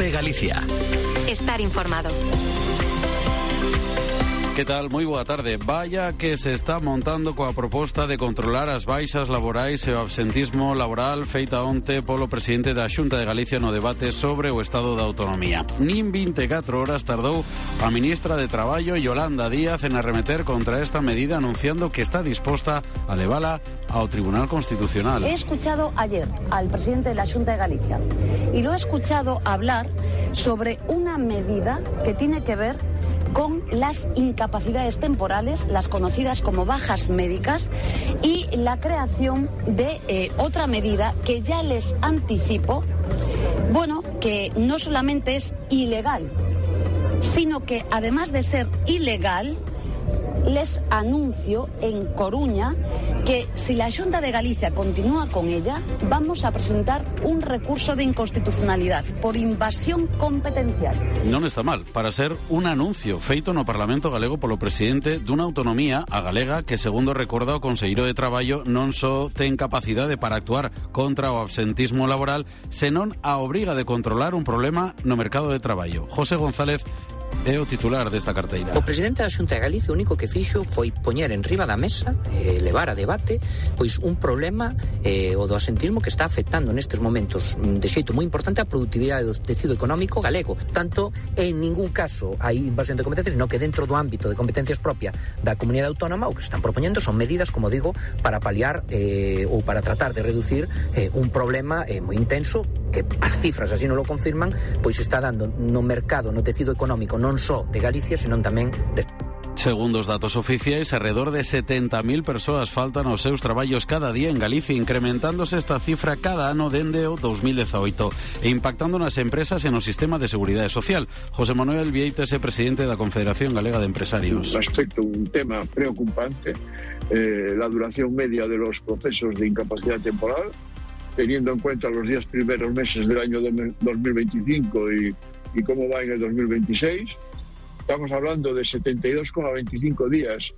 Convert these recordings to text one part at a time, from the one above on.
de Galicia. Estar informado. Que tal? Moi boa tarde. Vaya que se está montando coa proposta de controlar as baixas laborais e o absentismo laboral feita onte polo presidente da Xunta de Galicia no debate sobre o estado da autonomía. Nin 24 horas tardou a ministra de Traballo, Yolanda Díaz, en arremeter contra esta medida, anunciando que está disposta a levala ao Tribunal Constitucional. He escuchado ayer al presidente de la Xunta de Galicia y lo he escuchado hablar sobre una medida que tiene que ver con las incapacidades temporales, las conocidas como bajas médicas, y la creación de otra medida que ya les anticipo, que no solamente es ilegal, sino que además de ser ilegal, les anuncio en Coruña que si la Xunta de Galicia continúa con ella, vamos a presentar un recurso de inconstitucionalidad por invasión competencial. Non está mal, para ser un anuncio feito no Parlamento galego polo presidente dunha autonomía, a galega, que segundo recorda o conselleiro de Traballo non só ten capacidade para actuar contra o absentismo laboral, senón a obriga de controlar un problema no mercado de traballo. José González é o titular desta carteira. O presidente da Xunta de Galicia o único que fixo foi poñer en riba da mesa, levar a debate, pois un problema, o do absentismo, que está afectando nestes momentos de xeito moi importante a produtividade do tecido económico galego. Tanto, en ningún caso hai invasión de competencias, sino que dentro do ámbito de competencias propia da comunidade autónoma o que están propoñendo son medidas, como digo, para paliar ou para tratar de reducir un problema moi intenso que as cifras así non lo confirman, pois está dando no mercado, no tecido económico non só de Galicia, senón tamén de... Segundo os datos oficiais, alrededor de 70.000 persoas faltan aos seus traballos cada día en Galicia, incrementándose esta cifra cada ano dende o 2018 e impactando nas empresas e no sistema de seguridade social. José Manuel Vieites é presidente da Confederación Galega de Empresarios. Respecto a un tema preocupante, la duración media de los procesos de incapacidad temporal, teniendo en cuenta los 10 primeros meses del año 2025 y cómo va en el 2026, estamos hablando de 72,25 días,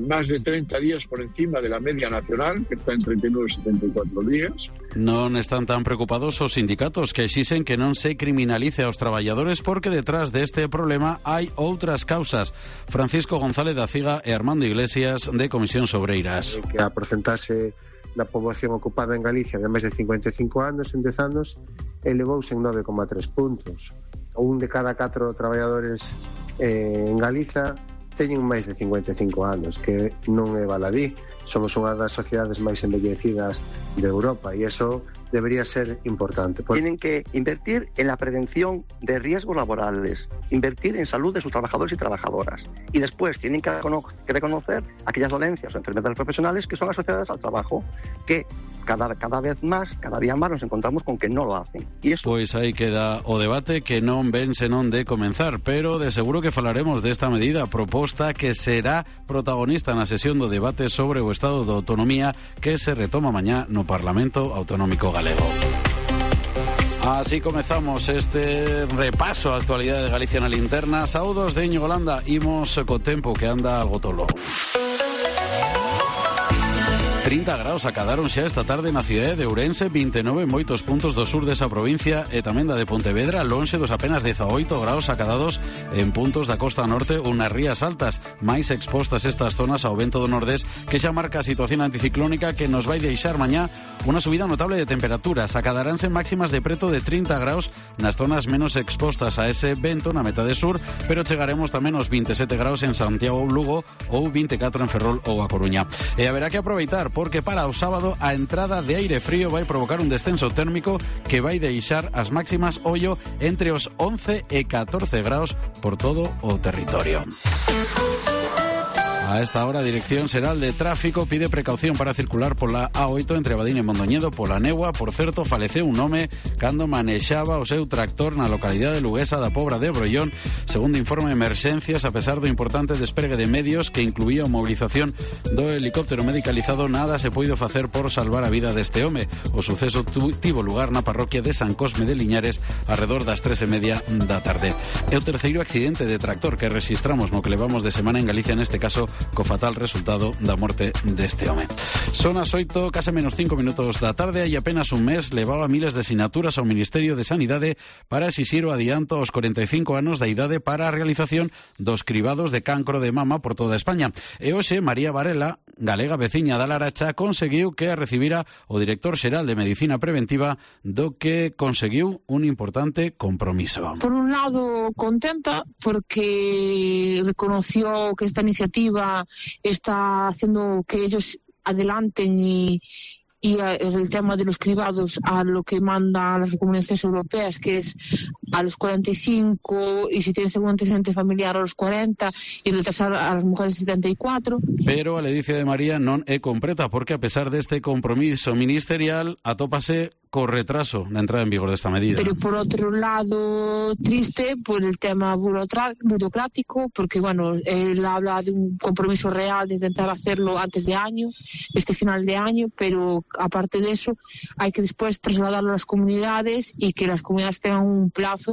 más de 30 días por encima de la media nacional, que está en 39 y 74 días. Non están tan preocupados os sindicatos, que exixen que non se criminalice aos traballadores, porque detrás deste problema hai outras causas. Francisco González da Ciga e Armando Iglesias, de Comisións Obreiras. Que a porcentaxe da poboación ocupada en Galicia de máis de 55 anos, en 10 anos, elevouse en 9,3 puntos. Un de cada 4 traballadores en Galiza teñen máis de 55 anos, que non é baladí. Somos unha das sociedades máis envellecidas de Europa e eso debería ser importante. Tienen que invertir en la prevención de riesgos laborales, invertir en salud de sus trabajadores y trabajadoras, y después tienen que reconocer aquellas dolencias o enfermedades profesionales que son asociadas al trabajo, que cada día más nos encontramos con que no lo hacen. Y eso... Pois aí queda o debate, que non ven senón de comenzar, pero de seguro que falaremos desta medida proposta que será protagonista na sesión do debate sobre o Estado de Autonomía, que se retoma mañá no Parlamento Autonómico Galego. Así comezamos este repaso á actualidade de Galicia na linterna. Saúdos de Íñigo Landa, imos co tempo que anda algo tolo. 30 graus acadaron xa esta tarde na cidade de Ourense, 29 en moitos puntos do sur desa provincia e tamén da de Pontevedra, lonxe dos apenas 18 graus acadados en puntos da costa norte ou nas rías altas, máis expostas estas zonas ao vento do nordés, que xa marca a situación anticiclónica que nos vai deixar mañá unha subida notable de temperaturas. Acadaránse máximas de preto de 30 graus nas zonas menos expostas a ese vento na metade sur, pero chegaremos tamén aos 27 graus en Santiago ou Lugo ou 24 en Ferrol ou A Coruña. E haberá que aproveitar, porque para o sábado a entrada de aire frío vai provocar un descenso térmico que vai deixar as máximas ollo entre os 11 e 14 graus por todo o territorio. A esta hora, a Dirección Xeral de Tráfico pide precaución para circular pola A8 entre Abadín e Mondoñedo pola néboa. Por certo, faleceu un home cando manexaba o seu tractor na localidade luguesa da Pobra de Brollón. Segundo informe de emerxencias, a pesar do importante despregue de medios que incluía a mobilización do helicóptero medicalizado, nada se puido facer por salvar a vida deste home. O suceso tivo lugar na parroquia de San Cosme de Liñares arredor das 3:30 da tarde. É o terceiro accidente de tractor que registramos no que levamos de semana en Galicia, neste caso co fatal resultado da morte deste home. Son as 8, case menos 5 minutos da tarde, e apenas un mes levaba miles de sinaturas ao Ministerio de Sanidade para exixir o adianto aos 45 anos da idade para a realización dos cribados de cancro de mama por toda España. E hoxe María Varela, galega veciña da Laracha, conseguiu que a recibira o director xeral de Medicina Preventiva, do que conseguiu un importante compromiso. Por un lado, contenta porque reconoció que esta iniciativa está haciendo que ellos adelanten y el tema de los cribados a lo que mandan las recomendaciones europeas, que es a los 45 y si tienes algún antecedente familiar a los 40 y retrasar a las mujeres 74. Pero a ledicia de María non é completa, porque a pesar deste compromiso ministerial atópase co retraso na entrada en vigor desta medida. Pero por otro lado, triste por el tema burocrático, porque bueno, él habla de un compromiso real de intentar hacerlo antes de año, este final de año, pero aparte de eso hay que después trasladarlo a las comunidades y que las comunidades tengan un plazo,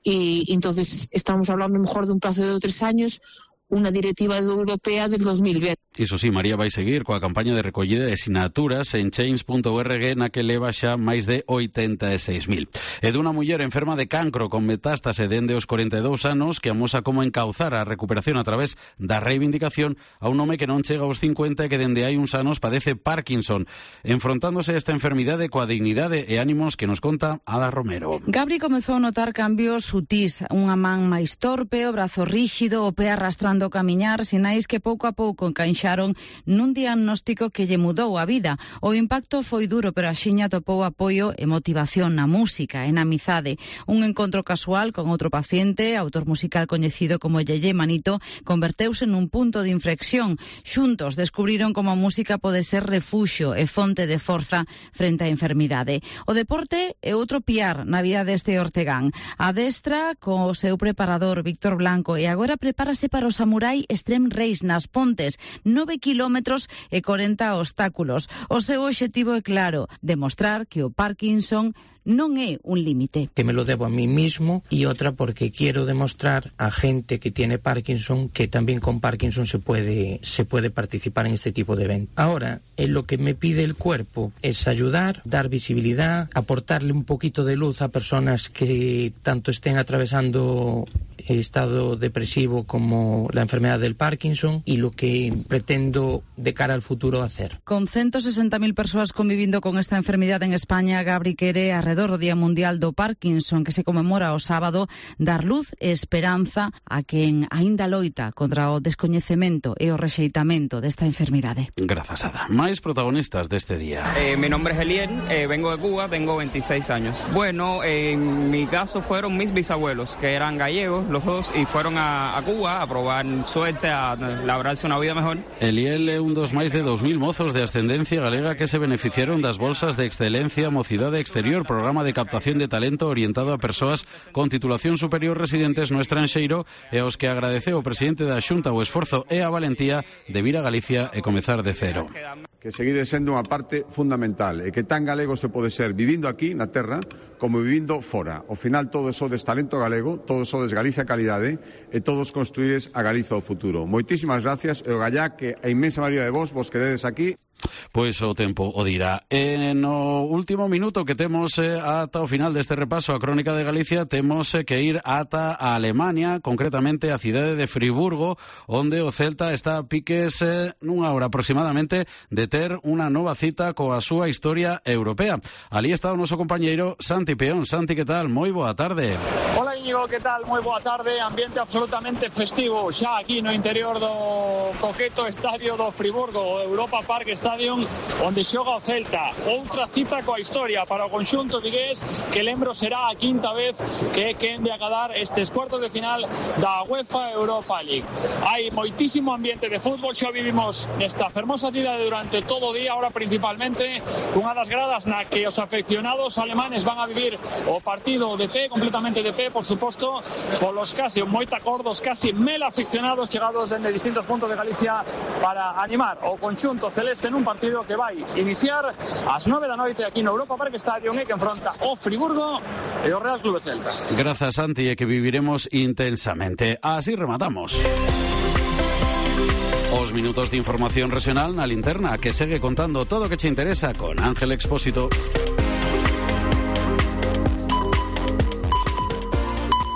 y entonces estamos hablando mejor de un plazo de 2 o 3 años, unha directiva europea del 2020. Iso sí, María vai seguir coa campaña de recollida de sinaturas en change.org, na que leva xa máis de 86.000. E dunha muller enferma de cancro con metástase dende os 42 anos que amosa como encauzar a recuperación a través da reivindicación a un home que non chega aos 50 e que dende hai uns anos padece Parkinson, enfrontándose a esta enfermidade coa dignidade e ánimos que nos conta Ada Romero. Gabri comezou a notar cambios sutís, unha man máis torpe, o brazo ríxido, o pé arrastrando o camiñar, sinais que pouco a pouco encaixaron nun diagnóstico que lle mudou a vida. O impacto foi duro, pero axiña topou apoio e motivación na música e na amizade. Un encontro casual con outro paciente, autor musical coñecido como Yeye Manito, converteuse nun punto de inflexión. Xuntos descubriron como a música pode ser refuxio e fonte de forza frente á enfermidade. O deporte é outro piar na vida deste ortegán. Adestra co seu preparador Víctor Blanco e agora prepárase para o Samurai Extreme Race nas Pontes, 9 kilómetros e 40 obstáculos. O seu obxectivo é claro, demostrar que o Parkinson non é un límite. Que me lo debo a mí mismo, y otra porque quiero demostrar a gente que tiene Parkinson que también con Parkinson se puede participar en este tipo de eventos. Ahora, lo que me pide el cuerpo es ayudar, dar visibilidad, aportarle un poquito de luz a personas que tanto estén atravesando estado depresivo como la enfermedad del Parkinson, y lo que pretendo de cara al futuro hacer. Con 160.000 persoas convivindo con esta enfermidade en España, Gabri quere arredor do Día Mundial do Parkinson, que se conmemora o sábado, dar luz e esperanza a quen aínda loita contra o descoñecemento e o rexeitamento desta enfermidade. Grazas, Ada. Máis protagonistas deste día. Mi nombre es Eliel, vengo de Cuba, tengo 26 años. Bueno, en mi caso fueron mis bisabuelos, que eran gallegos, los dos, y fueron a Cuba a probar suerte, a labrarse unha vida mejor. Eliel é un dos máis de 2.000 mozos de ascendencia galega que se beneficiaron das bolsas de excelencia Mocidade Exterior, programa de captación de talento orientado a persoas con titulación superior residentes no estranxeiro, e aos que agradeceu o presidente da Xunta o esforzo e a valentía de vir a Galicia e comezar de cero. Que seguide sendo unha parte fundamental e que tan galego se pode ser vivindo aquí na terra como vivindo fora. Ao final todos sodes talento galego, todos sodes Galicia calidade e todos construídes a Galiza o futuro. Moitísimas gracias e o gallá que a inmensa maioría de vos quededes aquí. Pois o tempo o dirá. No último minuto que temos ata o final deste repaso a Crónica de Galicia, temos que ir ata a Alemania, concretamente a cidade de Friburgo, onde o Celta está a piques nunha hora aproximadamente de ter unha nova cita coa súa historia europea. Ali está o noso compañeiro Santi Peón. Santi, que tal? Moi boa tarde. Hola Íñigo, que tal? Moi boa tarde. Ambiente absolutamente festivo xa aquí no interior do coqueto estadio do Friburgo, o Europa Park Stadium, onde xoga o Celta. Outra cita coa historia para o conxunto vigués, que lembro será a quinta vez que é quen de acadar estes cuartos de final da UEFA Europa League. Hai moitísimo ambiente de fútbol, xa vivimos nesta fermosa cidade durante todo o día, ahora principalmente cunha das gradas na que os afeccionados alemanes van a vivir o partido de pé, completamente de pé, por suposto, polos casi moita cordos, casi 1000 aficionados chegados dende distintos puntos de Galicia para animar o conxunto celeste nun partido que vai iniciar ás 9 da noite aquí no Europa Park Stadium e que enfronta o Friburgo e o Real Club Celta. Grazas, Santi, e que viviremos intensamente. Así rematamos. O 2 minutos de información regional na linterna que segue contando todo o que che interesa con Ángel Expósito.